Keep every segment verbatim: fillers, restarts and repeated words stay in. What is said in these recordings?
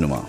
Nummer.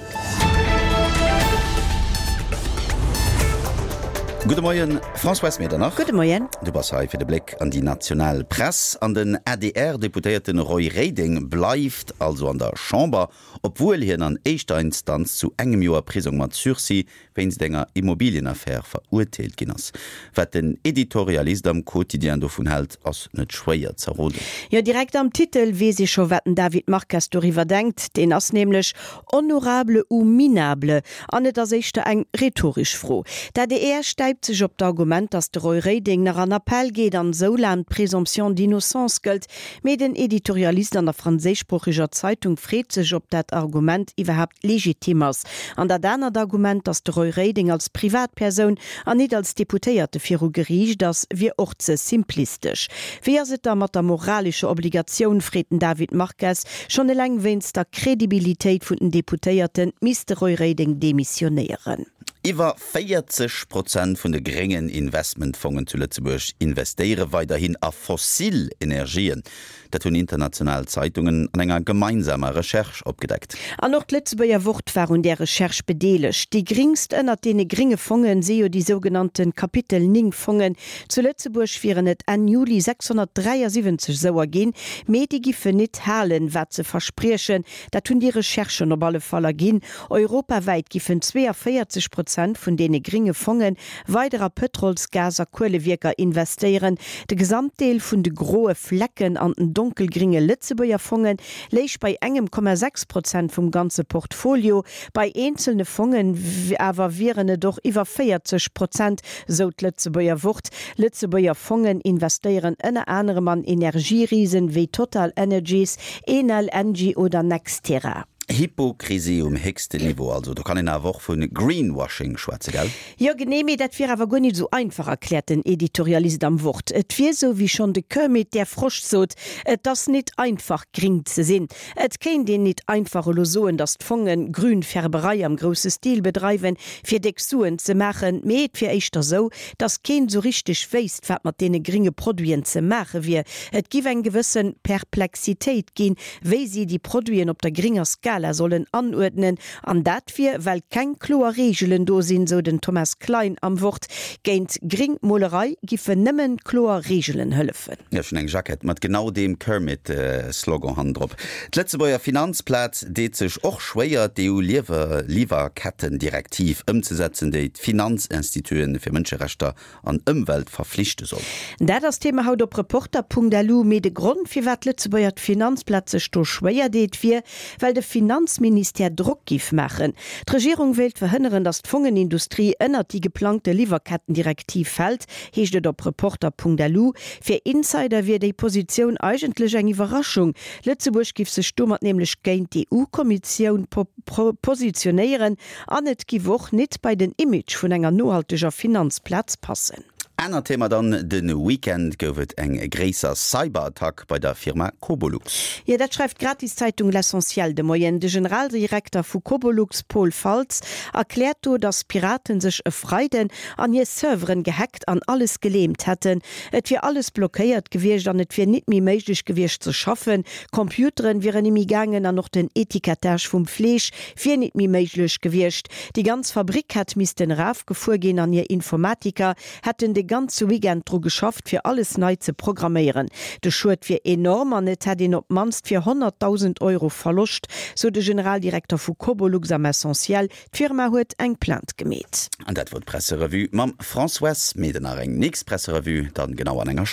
Gudde Moien, Françoise Medernach. Gudde Moien. Du bass hei fir de Bléck an déi national Press. An den A D R-Deputéierte Roy Reding bleift also an der Chamber, obwuel hien an éischter Instanz zu engem Joer Prisong mat Sursis wéinst enger Immobilienaffär verurteelt ginn ass. Wat den Editorialist am Quotidien dovun hält, ass net schwéier z'erroden. Jo, direkt am Titel weess ee scho wat den David Marques doriwwer denkt. Deen ass nämlech honorable ou minable? An et ass éischter eng rhetoresch Fro. D'A D R stäipt sech op d'Argument, datt de Roy Reding nach an Appell geet an esou laang d'Présomption d'innocence gëllt. Mee den Editorialist an der franséischsproocheger Zeitung freet sech, ob dat Argument iwwerhaapt legitim ass. An dat anert Argument, datt de Roy Reding als Privatpersoun an nit als Deputéierte viru Geriicht ass, wier och ze simplistesch. Wéi ass et da mat der moralescher Obligatioun, freet den David Marques. Schonn eleng wéinst der Kredibilitéit vun den Deputéierte misst de Roy Reding demissionéieren. Iwwer véierzeg Prozent vun de gréngen Investmentfongen zu Lëtzebuerg investéiere weiderhin a fossil Energien. Dat hunn international Zeitungen an enger gemeinsamer Recherche opgedeckt. An och d'Lëtzebuerger Wort war un där Recherche bedeelegt. Déi gréngst ënnert deene grénge Fongen si jo déi sougenannte Kapitel néng Fongen. Zu Lëtzebuerg wieren et Enn Juli sechshonnertdräiasiwwenzeg souer ginn, mee déi giffen nit halen, wat se verspriechen. Dat hunn déi Recherchen op alle Fall erginn. Europawäit giffen zweeënvéierzeg Prozent vun deene grénge Fonge weider a Pëtrols-, Gas a Kuelewierker investéieren. De Gesamtdeel vun de groe Flecken an den donkelgringe Lëtzebuerger Fonge léich bei engem Komma sechs Prozent vum ganze Portfolio. Bei eenzelne Fongen awer wieren et och iwwer véierzeg Prozent, sou d'Lëtzebuerger Wort. Lëtzebuerger Fongen investéieren ënner anerem an Energierisen wéi TotalEnergies, Enel, Engie oder NextEra. Hypokrisie um héchsten Niveau also. Do kann een awer och vu Greenwashing schwätzen, gell? Jo genee, mee dat wier awer guer nit esou einfach, erkläert den Editorialist am Wort. Et wier esou, wéi schonn de Kermit der Frosch sot, Et ass nit einfach gring ze sinn. Et kéint een nit einfach elo soen, datt d'Fongen Grünfärberei am grousse Stil bedreiwen, fir déck Suen ze maachen, mee et wier éischter sou, datt keen sou richteg wéisst, wat mat deene gringe Produiten ze maache wier. Et giff eng gewësse Perplexitéit ginn, wéi si déi Produiten op der gringer Skala sollen anuerdnen. An dat wier, well keng kloer Reegelen do sinn, sou den Thomas Klein am Wort. Géint Gringmolerei giffen nëmmen kloer Reegelen hëllefen. Jo, schonn eng Jackett mat genau deem Kermit-Slogan hannendrop. D'Lëtzebuerger Finanzplaz deet sech och schwéier, d'E U-Liwwerkettendirektiv ëmzesetzen, déi d'Finanzinstitute fir Mënscherechter an Ëmwelt verflichte soll. Dat ass Thema haut op Reporter Punkt L U. Mee de Grond, firwat d'Lëtzebuerger Finanzplaz sech do schwéier deet, wier, well de Finanzministère Drock giff maachen. D'Regierung wéilt verhënneren, datt d'Fongenindustrie ënnert déi geplangte Liwwerkettendirektiv fält, heescht et op Reporter Punkt L U. Fir Insider wier déi Positioun eigentlech eng Iwwerraschung. Lëtzebuerg giff sech domat nämlech géint d'E U-Kommissioun positionéieren an et giff och nit bei den Image vun enger nohalteger Finanzplaz passen. Anert Thema dann, De Weekend gouf et eng gréisser Cyberattack bei der Firma Cobolux. Jo, dat schreift d'Gratiszeitung L'Essentiel de Moien. De Generaldirekter vu Cobolux, Paul Faltz, erkläert do, datt Piraten sech e Freiden an hir Serveren gehackt an alles gelähmt hätten. Et wier alles blockéiert gewiescht an et wier nit méi méiglech gewiescht ze schaffen. Computeren wieren nit méi gaangen an och den Etikettage vum Fleesch wier nit méi méiglech gewiescht. Déi ganz Fabrik hätt missten erofgefuer ginn an hir Informatiker hätten de ganze Weekend dru geschafft, fir alles nei ze programméieren. De Schued wier enorm an et hätt een op d'mannst fir honnertdausend Euro Verloscht, sou de Generaldirekter vu Cobolux am Essentiel. D'Firma huet eng Plainte gemeet. An dat wor d'Presserevue mam Françoise Medernach. Eng nächst Presserevue dann genau an enger.